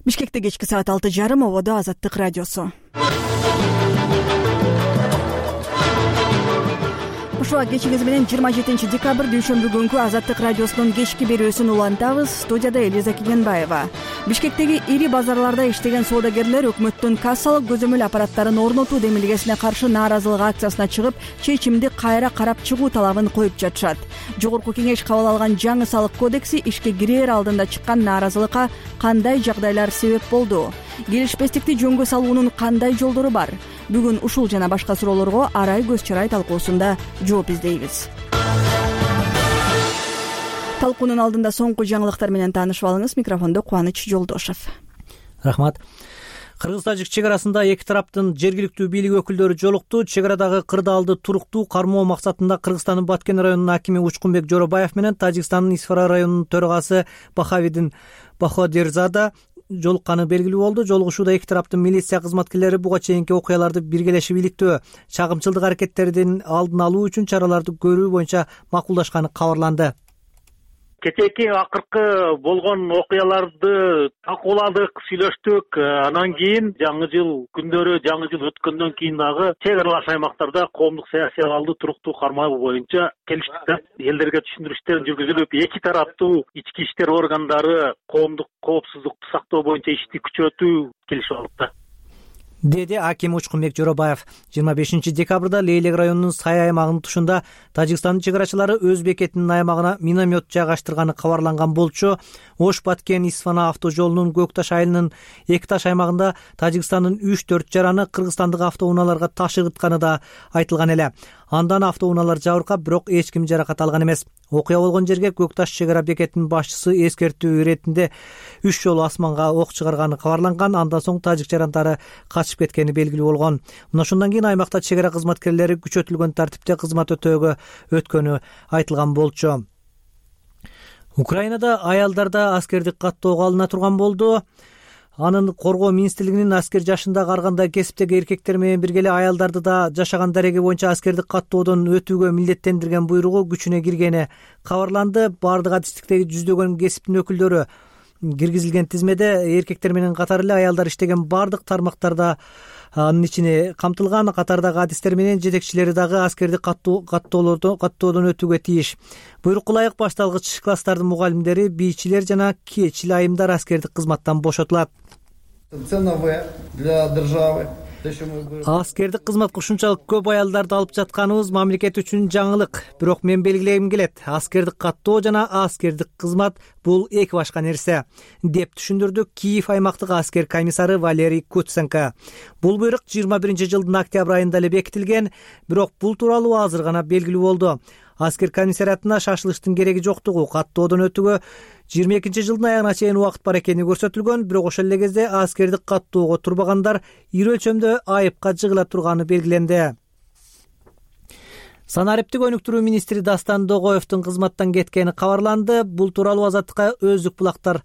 Бишкекте кечки саат 6:30 ободо Азаттык радиосу. Ушуга кечиңиз менен 27 декабрь дүйшөмбү күнкү Азаттык радиосунун кечки берүүсүн улантабыз. Студияда Элиза Кененбаева. Бишкектеги ири базарларда иштеген соодагерлер өкмөттүн кассалык көзөмөл аппараттарын орнотуу демилгесине каршы нааразылык акциясына чыгып, чечимди кайра карап чыгуу талабын коюп жатышат. Жогорку кеңеш кабыл алган жаңы салык кодекси ишке кирээр алдында чыккан нааразылыкка кандай жагдайлар себеп болду? Келишпестикти жөнгө салуунун кандай жолдору бар? Бүгүн ушул жана башка суроолорго Арай көз чарай талкуусунда жооп издейбиз. Талкуунун алдында соңку жаңылыктар менен таанышып алыңыз. Микрофондо Кубаныч Жолдошов. Рахмат. Кыргыз-тажик чек арасында эки тараптын жергиликтүү бийлик өкүлдөрү жолукту. Чек арадагы кырдаалды туруктуу кармоо максатында Кыргызстандын Баткен районунун акими Учкунбек Жоробаев менен Тажикстандын Исфара районунун төрагасы Бахавидин Баходерзада жолукканы белгилүү болду. Жолугушууда эки тараптын милиция кызматкерлери буга чейинки окуяларды биргелешип иликтөө, чагымчылдык аракеттердин алдын алуу үчүн чараларды көрүү боюнча макулдашканы кабарланды. Кечээки акыркы болгон окуяларды талкууладык, сүйлөштүк. Анан кийин жаңы жыл күндөрү, жаңы жыл өткөндөн кийин дагы чек аралаш аймактарда коомдук саясий абалды туруктуу кармоо боюнча келиштик да. Элдерге түшүндүрүштөр жүргүзүлүп, эки тараптуу ички иштер органдары коомдук коопсуздукту сактоо боюнча ишти күчөтүү келишип алдык да, деди аким Учкунбек Жоробаев. 25 декабрда Лейлек районунун Сай аймагынын тушунда Тажикстандын чек арачылары өз бекетинин аймагына миномет жайгаштырганы кабарланган болчу. Ош-Баткен Исфана автожолунун Көкташ айылынын Эки Таш аймагында Тажикстандын 3-4 жараны кыргызстандык автоунааларга таш ыгытканы да айтылган эле. Андан автоунаалар жабыркап, бирок эч ким жаракат алган эмес. Окуя болгон жерге Көкташ чек ара бекетинин башчысы эскертүү иретинде 3 жолу асманга ок чыгарганы кабарланган. Андан соң тажик жарандары качып кеткени белгилүү болгон. Мына ошондон кийин аймакта чек ара кызматкерлери күчөтүлгөн тартипте кызмат өтөөгө өткөнү айтылган болчу. Украинада аялдарда аскердик каттоого алына турган болду. Анын коргоо министрлигинин аскер жашындагы ар кандай кесиптеги эркектер менен бирге эле аялдарды да жашаган дареги боюнча аскердик каттоодон өтүүгө милдеттендирген буйругу күчүнө киргени кабарланды. Бардык адистиктеги жүздөгөн кесиптин өкүлдөрү киргизилген тизмеде эркектер менен катар эле аялдар иштеген бардык тармактарда анын ичине камтылган. Катардагы адистер менен жетекчилери дагы аскердик каттоодон өтүүгө тийиш. Буйрукка ылайык башталгыч класстардын мугалимдери, бийчилер жана кечил айымдар аскердик кызматтан бошотулат. Аскердик кызматка ушунчалык көп аялдарды алып жатканыбыз мамлекет үчүн жаңылык. Бирок мен белгилегим келет, аскердик каттоо жана аскердик кызмат бул эки башка нерсе, деп түшүндүрдү Киев аймактык аскер комиссары Валерий Куценко. Бул буйрук 21 жылдын октябрь айында эле бекитилген, бирок бул тууралуу азыр гана белгилүү болду. Аскер комиссариатына шашылыштын кереги жоктугу, каттоодон өтүүгө 22 жылдын аягына чейин убакыт бар экени көрсөтүлгөн, бирок ошол эле кезде аскердик каттоого турбагандар ири өлчөмдө айыпка жыгыла турганы белгиленди. Санариптик өнүктүрүү министри Дастан Догоевдун кызматтан кеткени кабарланды. Бул тууралуу Азаттыкка өздүк булактар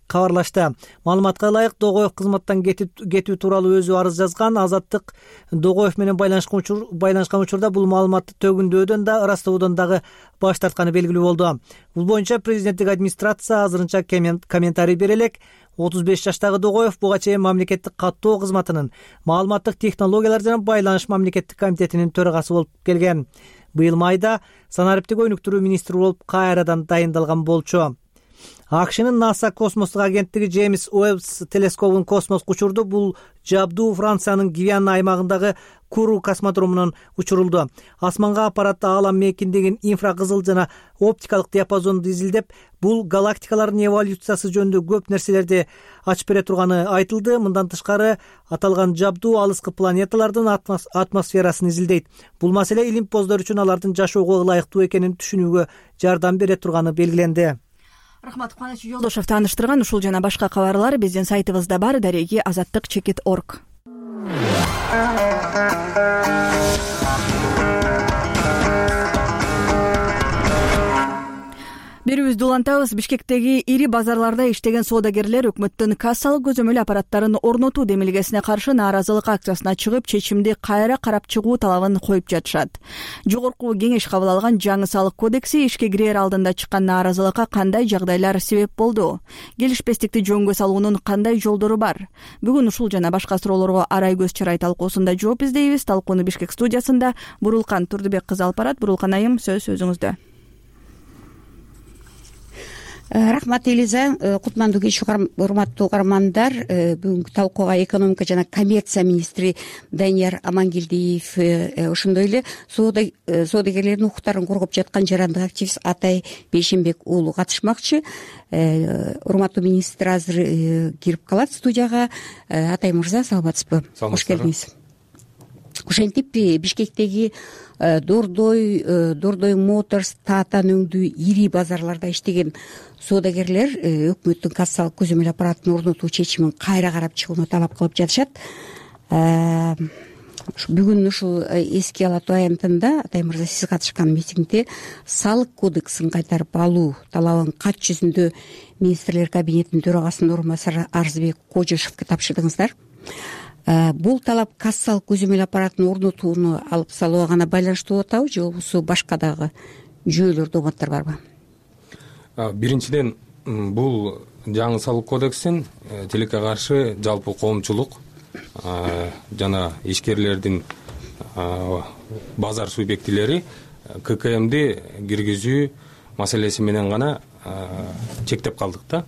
кабарлашты. Маалыматка ылайык, Догоев кызматтан кетүү тууралуу өзү арыз жазган. Азаттык Догоев менен байланышкан учурда бул маалыматты төгүндөөдөн да, ырастоодон дагы баш тартканы белгилүү болду. Бул боюнча президенттик администрация азырынча комментарий бере элек. 35 жаштагы Догоев буга чейин мамлекеттик каттоо кызматынын маалыматтык технологиялар жана байланыш мамлекеттик комитетинин төрагасы болуп келген. Быйыл майда санариптик өнүктүрүү министри болуп кайрадан дайындалган болчу. АКШнын НАСА космостук агенттиги Джеймс Уэбб телескопун космоско учурду. Бул жабдуу Франциянын Гвиана аймагындагы Куру космодромунан учурулду. Асманга аппарат аалам мейкиндигин инфракызыл жана оптикалык диапазонду изилдеп, бул галактикалардын эволюциясы жөнүндө көп нерселерди ачып бере турганы айтылды. Мындан тышкары аталган жабдуу алыскы планеталардын атмосферасын изилдейт. Бул маселе илимпоздор үчүн алардын жашоого ылайыктуу экенин түшүнүүгө жардам бере турганы белгиленди. Рахмат, Кубаныч Жолдошов тааныштырган. Ушул жана башка кабарлар биздин сайтыбызда бар, дареги azattik.org. берүүбүздү улантабыз. Бишкектеги ири базарларда иштеген соодагерлер өкмөттүн кассалык көзөмөл аппараттарын орнотуу демилгесине каршы нааразылык акциясына чыгып, чечимди кайра карап чыгуу талабын коюп жатышат. Жогорку кеңеш кабыл алган жаңы салык кодекси ишке кирер алдында чыккан нааразылыкка кандай жагдайлар себеп болду? Келишпестикти жөнгө салуунун кандай жолдору бар? Бүгүн ушул жана башка суроолорго арай көз чарай талкуусунда жооп издейбиз. Талкууну Бишкек студиясында Бурулкан Турдубек кызы алып барат. Бурулкан айым, сөз өзүңүздө. Рахмат Элиза, кутмандуу кеч, урматтуу угармандар. Бүгүнкү талкууга экономика жана коммерция министри Данияр Амангелдиев, ошондой эле соодагерлердин укуктарын коргоп жаткан жарандык активист Атай Бейшенбек уулу катышмакчы. Урматтуу министр азыр кирип калат студияга. Атай мырза, саламатсызбы? Кош келдиңиз. Ошентип Бишкектеги Дордой Моторс таатан өңдүү ири базарларда иштеген соодагерлер өкмөттүн кассалык көзөмөл аппаратын орнотуу чечимин кайра карап чыгууну талап кылып жатышат. Бүгүн ушул эске алатуу аянтында Атай мырза, сиз катышкан митингде салык кодексин кайтарып алуу талабын кат жүзүндө министрлер кабинетинин төрагасынын орун басары Арзыбек Кожошевке тапшырдыңыздар. Бул талап кассалык көзөмөл аппаратын орнотууну алып салууга гана байланыштуу болуп атабы, же болбосо башка дагы жүйөлөр, догматтар барбы? Биринчиден, бул жаңы салык кодексин тилекке каршы жалпы коомчулук жана ишкерлердин базар субъектилери ККМди киргизүү маселеси менен гана чектеп калдык да.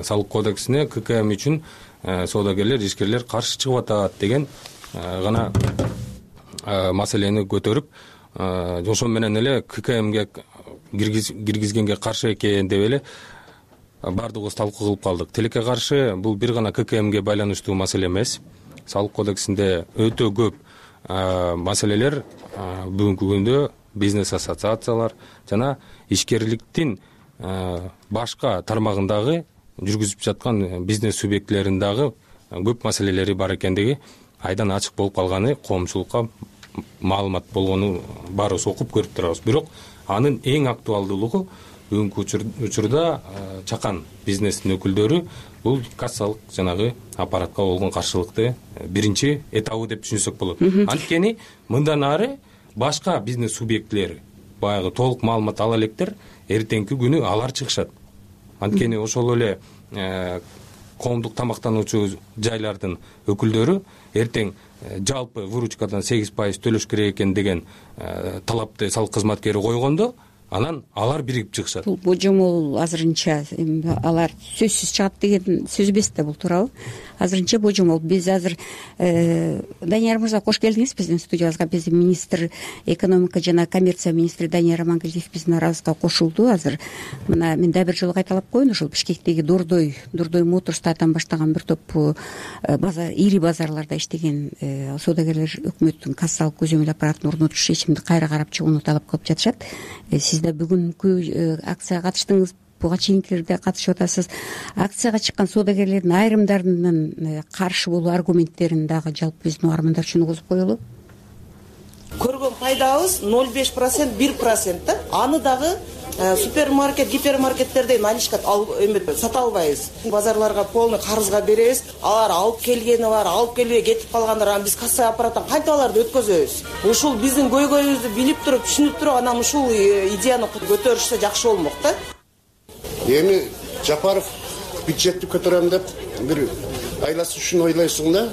Салык кодексине ККМ үчүн соодагерлер, ишкерлер каршы чыгып атат деген гана маселени көтөрүп, ошол менен эле ККМге киргизгенге каршы экен деп эле баардыгыбыз талкуу кылып калдык. Тилекке каршы бул бир гана ККМге байланыштуу маселе эмес. Салык кодексинде өтө көп маселелер бүгүнкү күндө бизнес ассоциациялар жана ишкерликтин башка тармагындагы жүргүзүп жаткан бизнес субъектилеринин дагы көп маселелери бар экендиги айдан ачык болуп калганы, коомчулукка маалымат болгону баарыбыз окуп көрүп турабыз. Бирок анын эң актуалдуулугу бүгүнкү учурда чакан бизнестин өкүлдөрү бул кассалык жанагы аппаратка болгон каршылыкты биринчи этабы деп түшүнсөк болот. Анткени мындан ары башка бизнес субъектилери баягы толук маалымат ала электер, эртеңки күнү алар чыгышат. Анткени ошол эле коомдук тамактануучу жайлардын өкүлдөрү эртең жалпы выручкадан 8% төлөш керек экен деген талапты салык кызматкери койгондо, анан алар биригип чыгышат. Бул божомол азырынча алар сөзсүз чыгат деген сөз эмес да, бул туурабы? Азырынча божомол. Биз азыр Данияр мырза, кош келдиңиз биздин студиябызга. Биздин министр, экономика жана коммерция министри Данияр Амангелдиев биздин арабызга кошулду. Азыр мына мен да бир жолу кайталап коеюн, ушул Бишкектеги Дордой Моторс таатан баштаган бир топ ири базарларда иштеген соодагерлер өкмөттүн кассалык көзөмөл аппаратын орнотуш чечимди кайра карап чыгууну талап кылып жатышат. Сиз да бүгүнкү акцияга катыштыңыз, буга чейинкилерде катышып атасыз. Акцияга чыккан соодагерлердин айрымдарынын каршы болуу аргументтерин дагы жалпы биздин угармандар үчүн угузуп коелу. Көргөн пайдабыз 0,5%, 1% да. Аны дагы супермаркет, гипермаркеттерден наличка сата албайбыз. Базарларга полный карызга беребиз. Алар алып келгени бар, алып келбей кетип калгандар, анан биз касса аппараттан кантип аларды өткөзөбүз? Ушул биздин көйгөйүбүздү билип туруп, түшүнүп туруп, анан ушул идеяны көтөрүшсө жакшы болмок да. Эми Жапаров бюджетти көтөрөм деп бир айласы үчүн ойлойсуң да,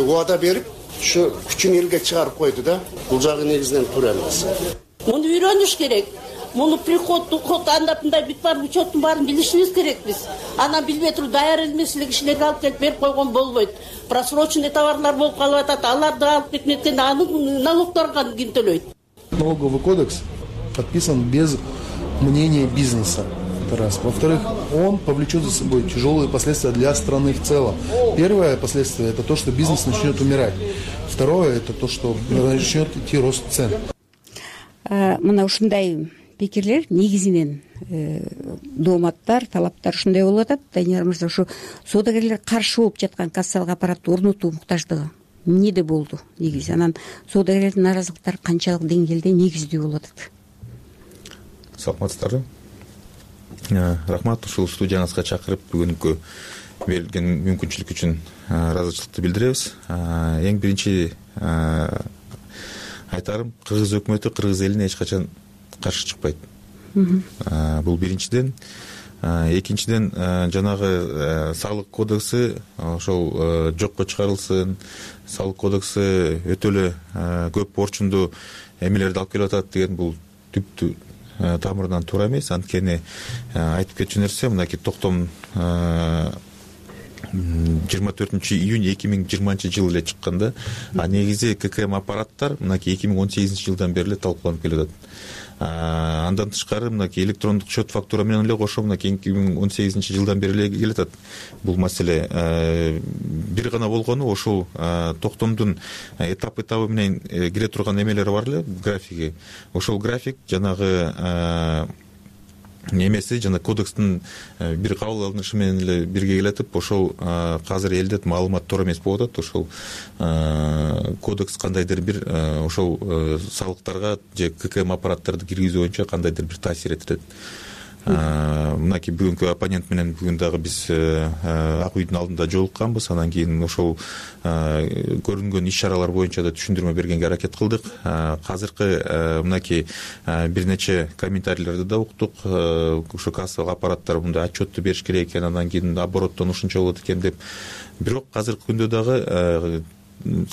убада берип, ушу күчүн элге чыгарып койду да. Бул жагы негизинен туура эмес. Муну үйрөнүш керек. Муну приход, уход, андапындай бүт бар учеттун баарын билишибиз керек биз. Анан билбей туруп даяр эмес эле кишилерге алып келип берип койгон болбойт. Просроченный товарлар болуп калып атат. Аларды алып кетмектен анын налогторун ким төлөйт? Налоговый кодекс подписан без мнения бизнеса. Это раз. Во-вторых, он повлечет за собой тяжелые последствия для страны в целом. Первое последствие – это то, что бизнес начнет умирать. Второе – это то, что начнет идти рост цен. Мына ушундай пикирлер негизинен дооматтар, талаптар ушундай болуп атат. Данияр мырза, ушу соодагерлер каршы болуп жаткан кассалык аппаратты орнотуу муктаждыгы эмнеде болду негизи? Анан соодагерлердин нааразылыктары канчалык деңгээлде негиздүү болуп атат? Саламатсыздарбы. Рахмат ушул студияңызга чакырып бүгүнкү берилген мүмкүнчүлүк үчүн ыраазычылыкты билдиребиз. Эң биринчи айтарым, кыргыз өкмөтү кыргыз элине эч качан каршы чыкпайт. Бул биринчиден. Экинчиден, жанагы салык кодекси ошол жокко чыгарылсын, салык кодекси өтө эле көп орчундуу эмелерди алып келип атат деген бул түптү тамырынан туура эмес. Анткени айтып кетчү нерсе, мынакей токтом 24 июнь 2020 жыл эле чыкканда, негизи ККМ аппараттар мынакей 2018 жылдан бери эле талкууланып келип атат. Андан тышкары мынакей электрондук счет фактура менен эле кошо мынакей 2018 жылдан бери эле келип атат бул маселе. Бир гана болгону ошол токтомдун этап менен кире турган эмелери бар эле, графиги. Ошол график жанагы эмеси жана кодекстин бир кабыл алынышы менен эле бирге келатып, ошол азыр элде маалымат туура эмес болуп атат. Ошол кодекс кандайдыр бир ошол салыктарга же ККМ аппараттарды киргизүү боюнча кандайдыр бир таасир этет. Мынакей бүгүнкү оппонент менен бүгүн дагы биз Ак үйдүн алдында жолукканбыз. Анан кийин ошол көрүнгөн иш чаралар боюнча да түшүндүрмө бергенге аракет кылдык. Азыркы мынакей бир нече комментарийлерди да уктук. Ушу кассалык аппараттар мындай отчетту бериш керек экен, андан кийин обороттон ушунча болот экен деп. Бирок азыркы күндө дагы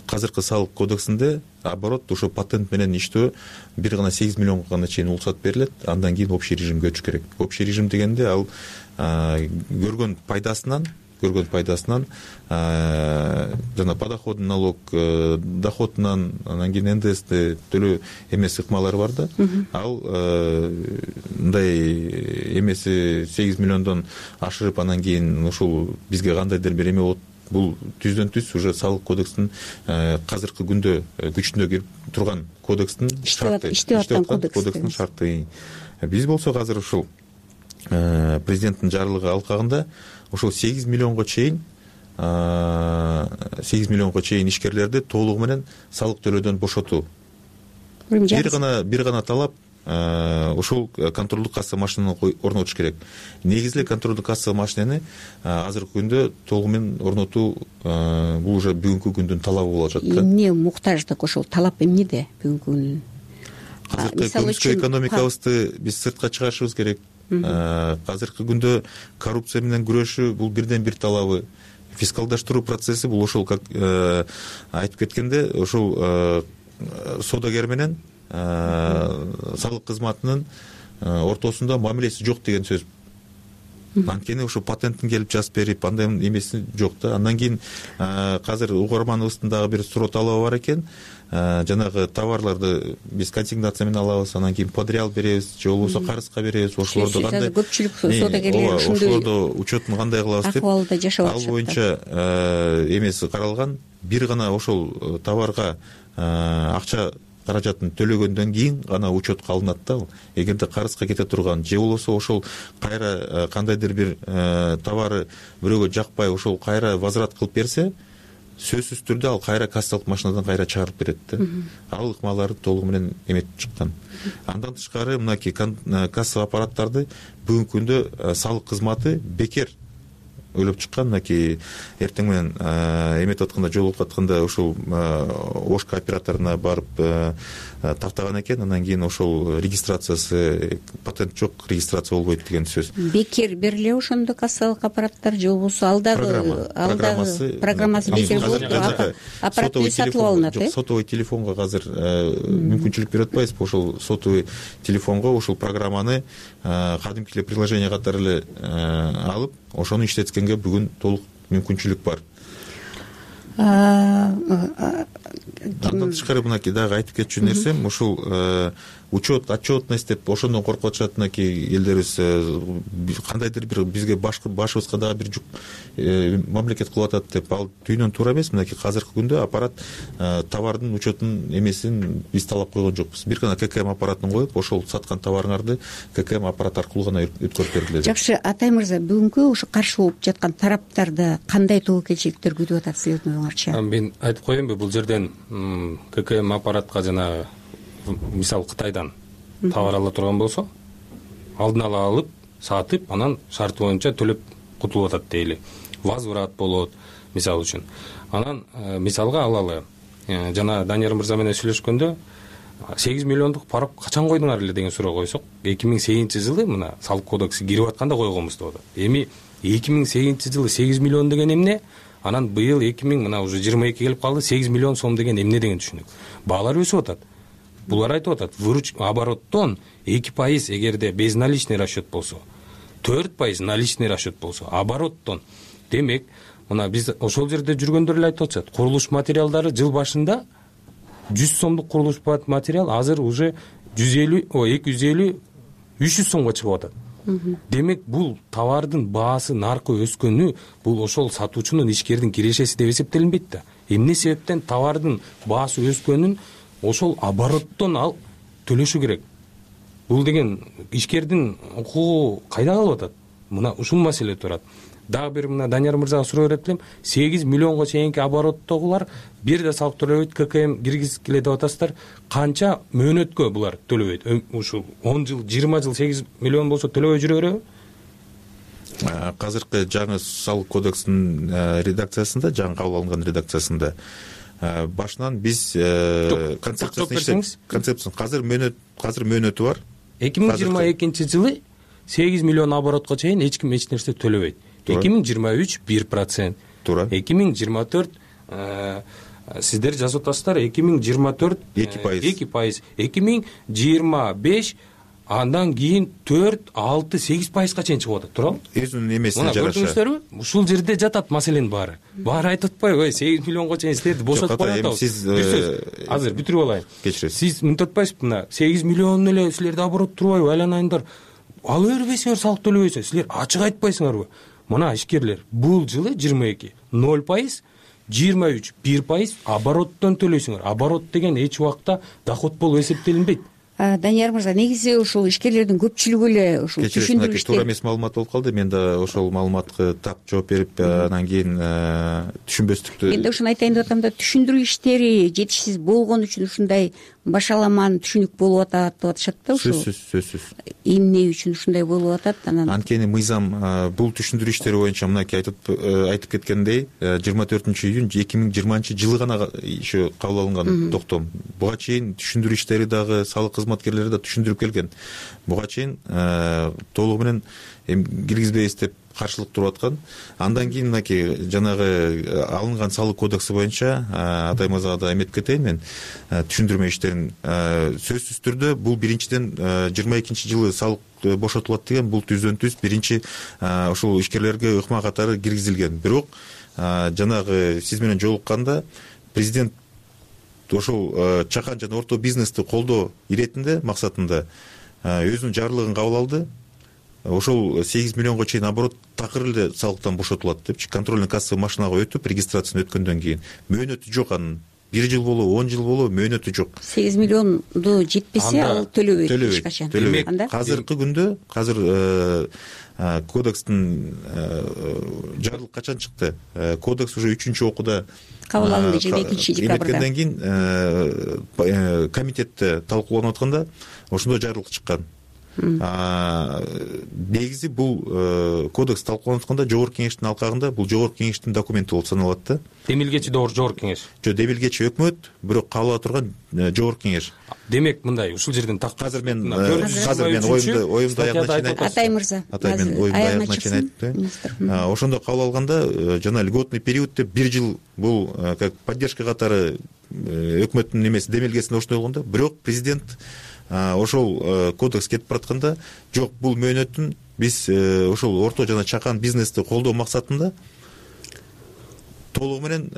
азыркы салык кодексинде оборот ошо патент менен иштөө 1,8 миллионго гана чейин уруксат берилет. Андан кийин общий режимге өтүш керек. Общий режим дегенде ал көргөн пайдасынан жана подоходный налог, доходунан, анан кийин НДСти төлөө эмес ыкмалары бар да. Ал мындай эмеси 8 миллиондон ашырып анан кийин ушул бизге кандайдыр бир эме болот. Бул түздөн түз уже салык кодекстин азыркы күндө күчүнө кирип турган кодекстин кодекстин шарты. Биз болсок азыр ушул президенттин жарлыгы алкагында ошол 8 миллионго чейин ишкерлерди толугу менен салык төлөөдөн бошотуу. Бир гана талап ошол контролдук касса машинаны орнотуш керек. Негизи контролдук касса машинаны азыркы күндө толугу менен орнотуу бул уже бүгүнкү күндүн талабы болуп атат да. Эмне муктаждык ошол талап эмнеде бүгүнкү күндүн? Азыркы көмүскө экономикабызды биз сыртка чыгарышыбыз керек. Азыркы күндө коррупция менен күрөшүү бул бирден бир талабы. Фискалдаштыруу процесси бул ошол как айтып кеткенде ошол соодагер менен салык кызматынын ортосунда мамилеси жок деген сөз. Анткени ошо патенттин келип жазып берип андай эмеси жок да. Андан кийин азыр угарманыбыздын дагы бир суроо талабы бар экен. Жанагы товарларды биз консигнация менен алабыз, анан кийин подреал беребиз, же болбосо карызга беребиз. Ошолорду кандай көпчүлүк соодагерлер ошондой учетун кандай кылабыз деп акыбалда жашап атышат. Ал боюнча эмеси каралган. Бир гана ошол товарга акча каражатын төлөгөндөн кийин гана учетка алынат да. Эгерде карызга кете турган же болбосо ошол кайра кандайдыр бир товары бирөөгө жакпай ошол кайра возврат кылып берсе, сөзсүз түрдө ал кайра кассалык машинадан кайра чыгарып берет да. Ал ыкмаларды толугу менен эметип чыккан. Андан тышкары мынакей касса аппараттарды бүгүнкү күндө салык кызматы бекер ойлоп чыккан. Мынакей эртең менен эметип атканда, жолугуп атканда ошол Ош кооператоруна барып тактаган экен. Анан кийин ошол регистрациясы патент жок, регистрация болбойт деген сөз. Бекер бериле ошондо кассалык аппараттар же болбосо программасы бекер болуп аппарат сатылып алынат. Сотовый телефонго азыр мүмкүнчүлүк берип атпайбызбы? Ошол сотовый телефонго ошол программаны кадимки эле приложение катары эле алып, ошону иштеткенге бүгүн толук мүмкүнчүлүк бар. Андан тышкары мынакей дагы айтып кетчү нерсем, ушул учет, отчетность деп ошондон коркуп атышат мынакей элдерибиз. Кандайдыр бир бизге башыбызга дагы бир жүк мамлекет кылып атат деп, ал түйүнөн туура эмес. Мынакей азыркы күндө аппарат товардын учетун эмесин биз талап койгон жокпуз. Бир гана ККМ аппаратын коюп, ошол саткан товарыңарды ККМ аппарат аркылуу гана өткөрүп бергиле. Жакшы, Атай мырза, бүгүнкү ошо каршы болуп жаткан тараптарда кандай тобокелчиликтер күтүп атат сиздин оюңарча? Мен айтып коеюнбу, бул жерден ККМ аппаратка мисалы Кытайдан товар ала турган болсо, алдын ала алып, сатып анан шарты боюнча төлөп кутулуп атат дейли. Возврат болот мисалы үчүн. Анан мисалга алалы, жана Данияр мырза менен сүйлөшкөндө 8 миллиондук парок качан койдуңар эле деген суроо койсок, 2008-жылы мына салык кодекси кирип атканда койгонбуз деп атат. Эми 2008-жылы 8 миллион деген эмне? Анан быйыл 2000 мына уже 22 келип калды, 8 миллион сом деген эмне деген түшүнүк. Баалар өсүп атат. Булар айтып атат, обороттон 2% эгерде безналичный расчет болсо, 4% наличный расчет болсо, обороттон. Демек, мына биз ошол жерде жүргөндөр эле айтып атышат. Курулуш материалдары жыл башында 100 сомдук курулуш материал азыр уже 250, 300 сомго чыгып атат. Демек, бул товардын баасы, наркы өскөнү, бул ошол сатуучунун, ишкердин кирешеси деп эсептелинбейт да. Эмне себептен товардын баасы өскөнүн ошол обороттон ал төлөшү керек. Бул деген ишкердин укугу кайда калып атат? Мына ушул маселе турат. Дагы бир мына Данияр мырзага суроо берет элем. 8 миллионго чейинки обороттогулар бир да салык төлөбөйт, ККМ киргизгиле деп атасыздар. Канча мөөнөткө булар төлөбөйт? Ушул 10 жыл, 20 жыл 8 миллион болсо төлөбөй жүрө береби? Азыркы жаңы салык кодексинин редакциясында, жаңы кабыл алынган редакциясында башынан биз концепциясын азыр мөөнөтү бар. 2022-жылы 8 миллион оборотко чейин эч ким эч нерсе төлөбөйт. 2023 1%. Туура. 2024 сиздер жазып атасыздар, 2024 2%. 2025 андан кийин 4, 6, 8%га чейин чыгып атат, туурабы? Өзүнүн эмесине жараша. Көрдүңүздөрбү? Ушул жерде жатат маселенин баары. Баары айтып атпайбы, 8 миллионго чейин силерди бошотуп коет. Сиз азыр бүтүрүп алайын. Кечиресиз. Сиз мынтип атпайсызбы, мына 8 миллион эле силерде оборот турбайбы, айланайындар. Ала бербейсиңер, салык төлөбөйсүңөр. Силер ачык айтпайсыңарбы? Мына ишкерлер бул жылы 22 0%, 23 1% обороттон төлөйсүңөр. Оборот деген эч убакта доход болуп эсептелинбейт. Данияр мырза, негизи ушул ишкерлердин көпчүлүгү эле ушул түшүндүрүштө туура эмес маалымат болуп калды. Мен да ошол маалыматка так жооп берип, анан кийин түшүнбөстүктү. Мен да ушуну айтайын деп атам да, түшүндүрүү иштери жетишсиз болгон үчүн ушундай башаламан түшүнүк болуп атат деп атышат да. Ушул сөзсүз эмне үчүн ушундай болуп атат? Анткени мыйзам бул түшүндүрүү иштери боюнча мынакей айтып кеткендей 24-июнь 2020-жылы гана еще кабыл алынган токтом. Буга чейин түшүндүрүү иштери дагы салык кызматкерлери да түшүндүрүп келген. Буга чейин толугу менен киргизбейбиз деп каршылык туруп аткан. Андан кийин мынакей жанагы алынган салык кодекси боюнча Атай мырзага да эметип кетейин мен. Түшүндүрмө иштерин сөзсүз түрдө бул биринчиден 22-жылы салык бошотулат деген бул түздөн түз биринчи ошол ишкерлерге ыкма катары киргизилген. Бирок жанагы сиз менен жолукканда президент ошол чакан жана орто бизнести колдоо иретинде максатында өзүнүн жарлыгын кабыл алды. Ошол 8 миллионго чейин оборот такыр эле салыктан бошотулат депчи, контрольный кассовый машинага өтүп, регистрацияны өткөндөн кийин мөөнөтү жок анын. 1 жыл болобу, 10 жыл болобу мөөнөтү жок. 8 миллионду жетпесе ал төлөбөйт эч качан. Азыркы күндө кодекстин жарлык качан чыкты? Кодекс уже 3-окууда кабыл алынды 22-декабрда. Эметкенден кийин комитетте талкууланып атканда ошондо жарлык чыккан. Негизи бул кодекс талкууланып атканда жогорку кеңештин алкагында бул жогорку кеңештин документи болуп саналат да. Демилгечи жогорку кеңеш. Жок, демилгечи өкмөт, бирок кабыл ала турган жогорку кеңеш. Демек мындай, ушул жерден азыр мен оюмду аягына чейин айтып. Атай мырза. Атай мен оюмду аягына чейин айтты. Ошондо кабыл алганда жана льготный период деп 1 жыл бул как поддержка катары өкмөттүн немеси демилгесинде ошондой болгондо, бирок президент ошол кодекс кетип баратканда жок, бул мөөнөтүн биз ошол орто жана чакан бизнести колдоо максатында толугу менен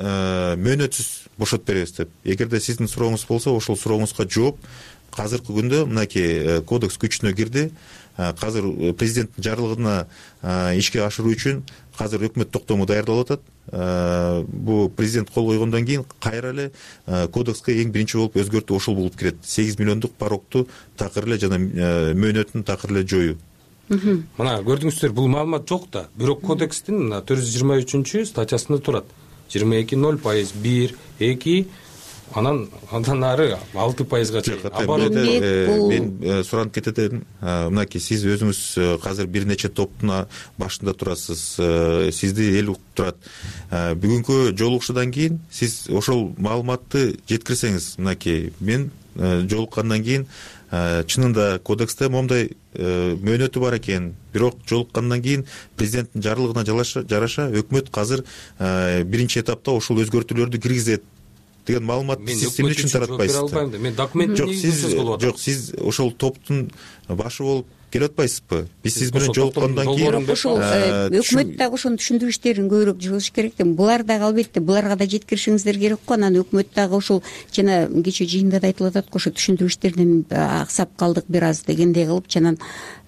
мөөнөтсүз бошотуп беребиз деп. Эгерде сиздин сурооңуз болсо, ошол сурооңузга жооп азыркы күндө мынакей кодекс күчүнө кирди. Азыр президенттин жарлыгына ишке ашыруу үчүн азыр өкмөт токтому даярдалып атат. Бул президент кол койгондон кийин кайра эле кодекске эң биринчи болуп өзгөртүү ошол болуп кирет. 8 миллиондук парокту такыр эле жана мөөнөтүн такыр эле жоюу. Мына көрдүңүздөр, бул маалымат жок да. Бирок кодекстин мына 423 статьясында турат. 22 0%, 1, 2 андан ары 6%-га чейин. Мен суранып кетет. Мынакей сиз өзүңүз азыр бир нече топтун башында турасыз, сизди эл угуп турат. Бүгүнкү жолугушуудан кийин сиз ошол маалыматты жеткирсеңиз, мынакей мен жолуккандан кийин чынында кодексте момундай мөөнөтү бар экен, бирок жолуккандан кийин президенттин жарлыгына жараша өкмөт азыр биринчи этапта ушул өзгөртүүлөрдү киргизет деген маалыматты сиз эмне үчүн таратпайсызбы? Мен документ жок, сиз ошол топтун башы болуп келип атпайсызбы? Биз сиз менен жолуккандан кийин ошол өкмөт дагы ошону түшүндүрүү иштерин көбүрөөк жүргүзүш керек да. Булар дагы албетте буларга да жеткиришиңиздер керек го. Анан өкмөт дагы ошол жана кечээ жыйында да айтылып атат го, ошо түшүндүрүү иштеринен аксап калдык бир аз дегендей кылып, жана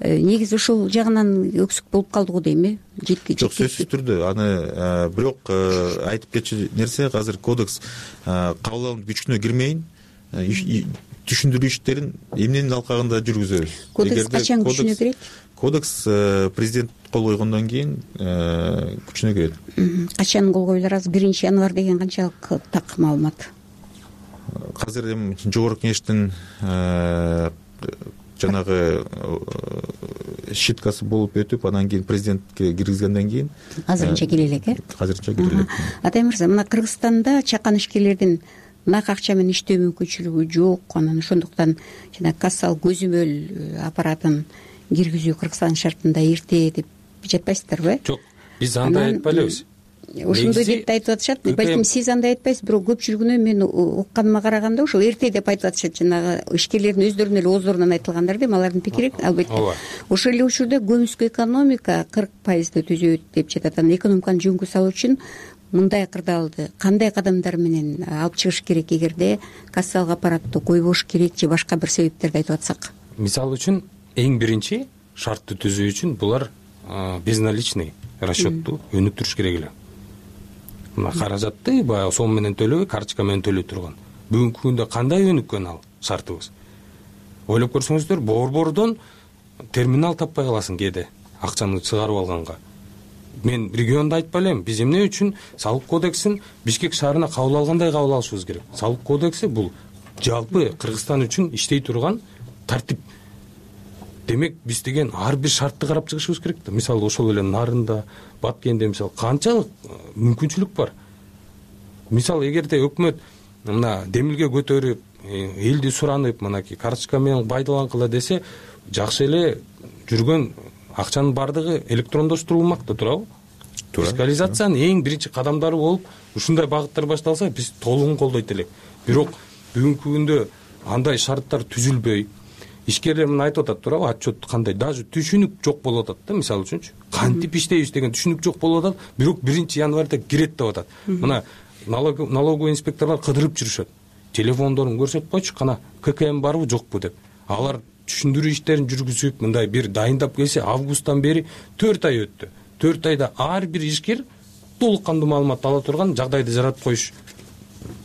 негизи ошол жагынан өксүк болуп калды го дейм. Жок, сөзсүз түрдө аны бирок айтып кетчү нерсе, азыр кодекс кабыл алынып күчүнө кирмейин, түшүндүрүү иштерин эмненин алкагында жүргүзөбүз. Кодекс качан күчүнө кирет? Кодекс президент кол койгондон кийин күчүнө кирет. Качан кол коюлар? Азыр 1-январь деген канчалык так маалымат? Азыр эми жогорку кеңештин жанагы шиткасы болуп өтүп, анан кийин президентке киргизгенден кийин азырынча кире элек, азырынча кире элек. Атай мырза, мына Кыргызстанда чакан ишкерлердин нак акча менен иштөө мүмкүнчүлүгү жок, анан ошондуктан жана кассалык көзөмөл аппаратын киргизүү Кыргызстан шартында эрте деп жатпайсыздарбы? Жок, биз андай айтпай элебиз. Ошондой деп айтып атышат. Балким сиз андай айтпайсыз, бирок көпчүлүгүнө мен укканыма караганда ошол эрте деп айтып атышат. Жанагы ишкерлердин өздөрүнүн эле ооздорунан айтылгандар дейм, алардын пикири албетте. Ошол эле учурда көмүскө экономика 40% түзөт деп жатат. Анан экономиканы жөнгө салуу үчүн мындай кырдаалды кандай кадамдар менен алып чыгыш керек, эгерде кассалык аппаратты койбош керек же башка бир себептерди айтып атсак? Мисалы үчүн эң биринчи шартты түзүү үчүн булар безналичный расчетту өнүктүрүш керек эле. Мына каражатты баягы сом менен төлөбөй, карточка менен төлөй турган. Бүгүнкү күндө кандай өнүккөн ал шартыбыз? Ойлоп көрсөңүздөр, борбордон терминал таппай каласың кээде акчаны чыгарып алганга. Мен регионду айтпай элем, биз эмне үчүн салык кодексин Бишкек шаарына кабыл алгандай кабыл алышыбыз керек. Салык кодекси бул жалпы Кыргызстан үчүн иштей турган тартип. Демек биз деген ар бир шартты карап чыгышыбыз керек да. Мисалы ошол эле Нарында, Баткенде мисалы канчалык мүмкүнчүлүк бар. Мисалы эгерде өкмөт мына демилге көтөрүп, элди суранып, мынакей карточка менен пайдаланкыла десе, жакшы эле жүргөн акчанын бардыгы электрондоштурулмак да, туурабы? Фискализациянын эң биринчи кадамдары болуп, ушундай багыттар башталса, биз толугун колдойт элек. Бирок бүгүнкү күндө андай шарттар түзүлбөй, ишкерлер мына айтып атат, туурабы? Отчет кандай, даже түшүнүк жок болуп атат да, мисалы үчүнчү. Кантип иштейбиз деген түшүнүк жок болуп атат, бирок 1-январда кирет деп атат. Мына налоговый инспекторлор кыдырып жүрүшөт. Телефондорун көрсөтүп койчу, кана ККМ барбы жокпу деп. Алар түшүндүрүү иштерин жүргүзүп, мындай бир дайындап келсе, августтан бери 4 ай өттү. 4 айда ар бир ишкер толук кандуу маалымат ала турган жагдайды жаратып коюш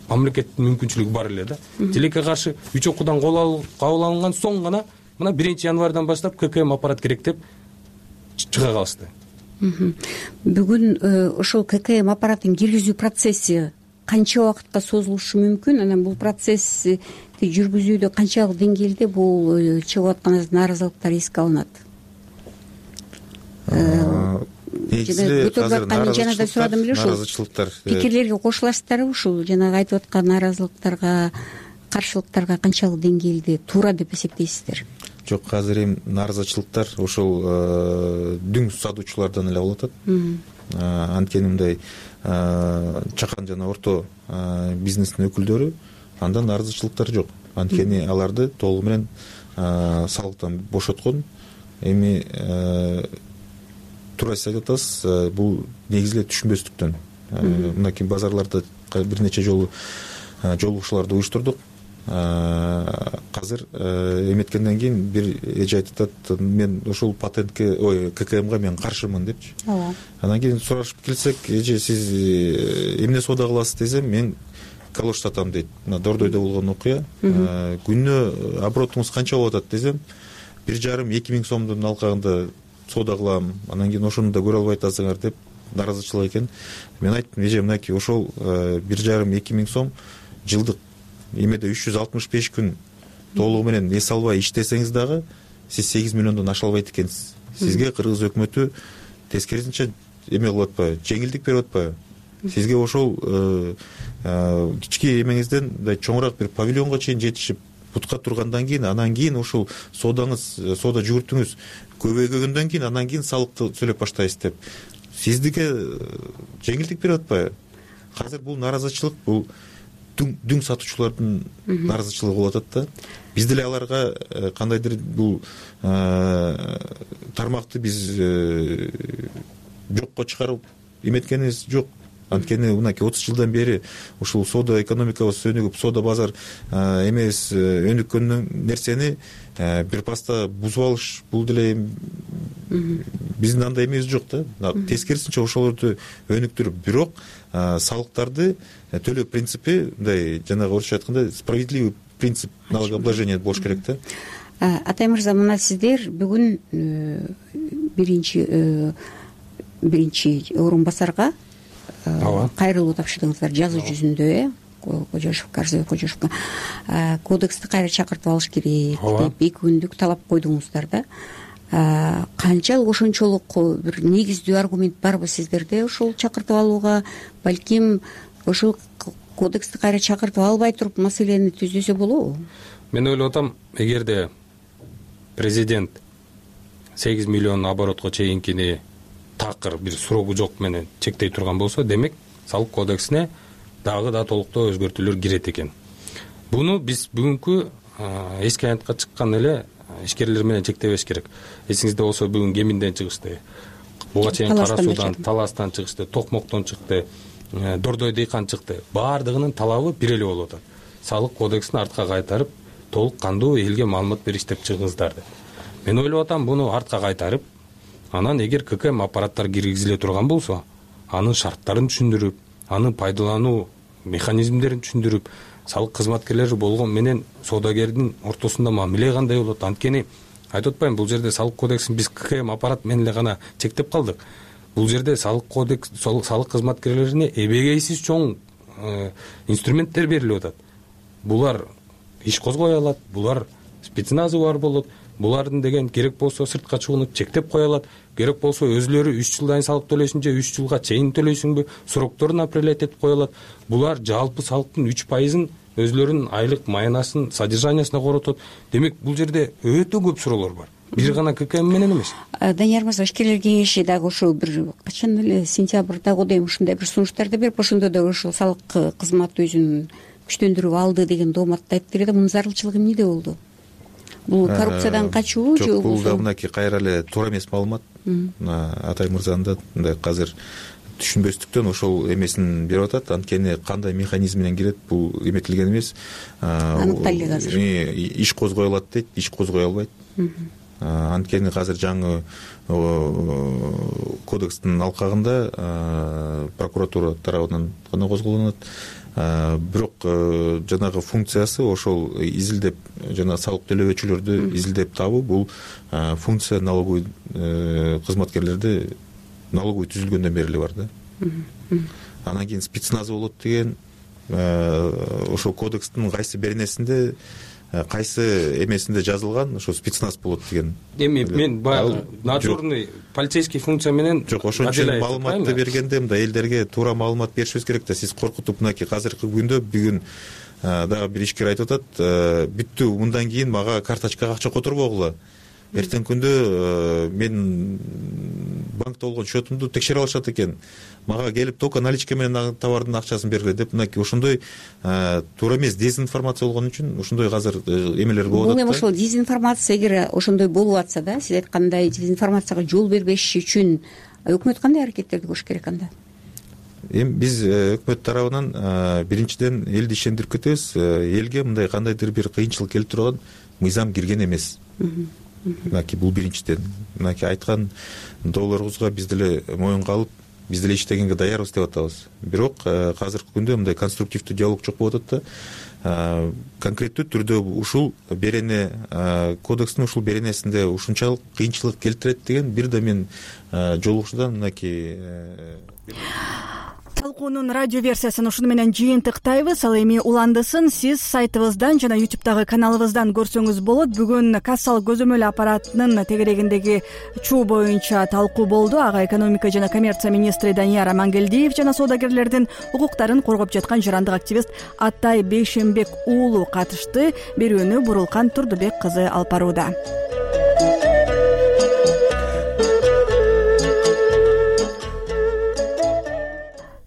мамлекеттин мүмкүнчүлүгү бар эле да. Тилекке каршы 3 окуудан кабыл алынган соң гана мына 1-январдан баштап ККМ аппарат керек деп чыга калышты. Бүгүн ошол ККМ аппаратын киргизүү процесси канча убакытка созулушу мүмкүн? Анан бул процессти жүргүзүүдө канчалык деңгээлде бул чыгып аткан нааразылыктар эске алынат? Жана да сурадым эле, ушул пикирлерге кошуласыздарбы? Ушул жанагы айтып аткан нааразылыктарга, каршылыктарга канчалык деңгээлде туура деп эсептейсиздер? Жок, азыр эми нааразычылыктар ошол дүң сатуучулардан эле болуп атат. Анткени мындай чакан жана орто бизнестин өкүлдөрү андан нааразычылыктар жок. Анткени аларды толугу менен салыктан бошоткон. Эми туура сиз айтып атасыз, бул негизи эле түшүнбөстүктөн. Мынакей базарларда бир нече жолу жолугушууларды уюштурдук. Азыр эметкенден кийин бир эже айтып атат, мен ошол патентке, ККМга мен каршымын депчи. Анан кийин сурашып келсек, эже сиз эмне соода кыласыз десем, мен калош сатам дейт. Мына Дордойдо болгон окуя. Күнүнө оборотуңуз канча болуп атат десем, 1,5-2 миң сомдун алкагында соода кылам. Анан кийин ошону да көрө албай атасыңар деп нааразычылык экен. Мен айттым, эже мынакей ошол 1,5-2 миң сом жылдык эмеде 365 күн толугу менен эс албай иштесеңиз дагы сиз 8 миллиондон аша албайт экенсиз. Сизге кыргыз өкмөтү тескерисинче эме кылып атпайбы, жеңилдик берип атпайбы? Сизге ошол кички эмеңизден мындай чоңураак бир павильонго чейин жетишип бутка тургандан кийин, анан кийин ошол соода жүгүртүңүз көбөйгөндөн кийин, анан кийин салыкты төлөп баштайсыз деп сиздике жеңилдик берип атпайбы? Азыр бул нааразычылык, бул дүң сатуучулардын нааразычылыгы болуп атат да. Биз деле аларга кандайдыр бул тармакты биз жокко чыгарып эметкенибиз жок. Анткени мынакей 30 жылдан бери ушул соода экономикабыз өнүгүп, соода базар эмес өнүккөн нерсени бир паста бузуп алыш, бул деле биздин андай эмебиз жок да. Тескерисинче ошолорду өнүктүрүп, бирок салыктарды төлөө принципи мындай жанагы орусча айтканда справедливый принцип налогообложения болуш керек да. Атай мырза, мына сиздер бүгүн биринчи орун басарга кайрылуу тапшырдыңыздар жазуу жүзүндө, Арзыбек Кожошевко кодексти кайра чакыртып алыш керек деп 2 күндүк талап койдуңуздар да. Канчалык ошончолук бир негиздүү аргумент барбы сиздерде ошол чакыртып алууга? Балким ошол кодексти кайра чакыртып албай туруп маселени түзөсө болобу? Мен ойлоп атам, эгерде президент 8 миллион оборотко чейинкини такыр бир срогу жок менен чектей турган болсо, демек салык кодексине дагы да толуктоо өзгөртүүлөр кирет экен. Буну биз бүгүнкү эски аянтка чыккан эле ишкерлер менен чектебеш керек. Эсиңизде болсо бүгүн Кеминден чыгышты, буга чейин Кара Суудан, Таластан чыгышты, Токмоктон чыкты, Дордой Дейкан чыкты. Баардыгынын талабы бир эле болуп атат. Салык кодексин артка кайтарып, толук кандуу элге маалымат бериш деп чыгыңыздар деп. Мен ойлоп атам, буну артка кайтарып, анан эгер ККМ аппараттар киргизиле турган болсо, анын шарттарын түшүндүрүп, анын пайдалануу механизмдерин түшүндүрүп, салык кызматкерлери болгон менен соодагердин ортосунда мамиле кандай болот? Анткени айтып атпайм, бул жерде салык кодексин биз ККМ аппарат менен эле гана чектеп калдык. Бул жерде салык кодекс, салык кызматкерлерине эбегейсиз чоң инструменттер берилип атат. Булар иш козгой алат, булар спецназы бар болот, булардын деген керек болсо сыртка чыгууну чектеп кое алат, керек болсо өзүлөрү 3 жылдан салык төлөйсүң же 3 жылга чейин төлөйсүңбү, срокторун определять этип кое алат. Булар жалпы салыктын 3%-ын өзүлөрүнүн айлык маянасынын содержаниясына коротот. Демек бул жерде өтө көп суроолор бар. Бир гана ККМ менен эмес. Данияр мырза, ишкерлер кеңеши дагы ошол бир качан эле сентябрда годайм ушундай бир сунуштарды берип, ошондо да ошол салык кызматы өзүн күчтөндүрүп алды деген дооматты айтты эле да. Мунун зарылчылыгы эмнеде болду? Бул коррупциядан качуу же бул да мынакей кайра эле туура эмес маалымат. Атай мырзанын да мындай азыр түшүнбөстүктөн ошол эмесин берип атат. Анткени кандай механизм менен кирет, бул эметилген эмес. Аныкталды азыр. Иш козгой алат дейт, иш козгой албайт. Анткени азыр жаңы кодекстин алкагында прокуратура тарабынан гана козголонот. Бирок жанагы функциясы ошол изилдеп, жана салык төлөөчүлөрдү изилдеп табуу, бул функция налоговый кызматкерлерде налоговый түзүлгөндөн бери эле бар да. Анан кийин спецназы болот деген ошол кодекстин кайсы беренесинде, кайсы эмесинде жазылган, ошо спецназ болот деген. Эми мен баягы надзорный полицейский функция менен жок, ошончо маалыматты бергенде мындай элдерге туура маалымат беришибиз керек да. Сиз коркутуп мынакей азыркы күндө бүгүн дагы бир ишкер айтып атат, бүттү, мындан кийин мага карточкага акча которбогула. Эртең күндө мен банкта болгон счетумду текшере алышат экен. Мага келип только наличка менен товардын акчасын бергиле деп, мынакей ошондой туура эмес дезинформация болгон үчүн ошондой азыр эмелер болуп атат. Бул эми ошол дезинформация, эгер ошондой болуп атса да, сиз айткандай дезинформацияга жол бербеш үчүн өкмөт кандай аракеттерди көрүш керек анда? Эми биз өкмөт тарабынан биринчиден элди ишендирип кетебиз. Элге мындай кандайдыр бир кыйынчылык келип турган мыйзам кирген эмес. Мынакей бул биринчиден. Мынакей айткан долларыбызга биз деле моюнга алып, биз деле иштегенге даярбыз деп атабыз. Бирок азыркы күндө мындай конструктивдүү диалог жок болуп атат да. Конкреттүү түрдө ушул берене, кодекстин ушул беренесинде ушунчалык кыйынчылык келтирет деген бир да мен жолугушуудан мынакей талкуунун радио версиясын ушуну менен жыйынтыктайбыз. Ал эми уландысын сиз сайтыбыздан жана ютубтагы каналыбыздан көрсөңүз болот. Бүгүн кассалык көзөмөл аппаратынын тегерегиндеги чуу боюнча талкуу болду. Ага экономика жана коммерция министри Данияр Амангелдиев жана соодагерлердин укуктарын коргоп жаткан жарандык активист Атай Бейшенбек уулу катышты. Берүүнү Бурулкан Турдубек кызы алып барууда.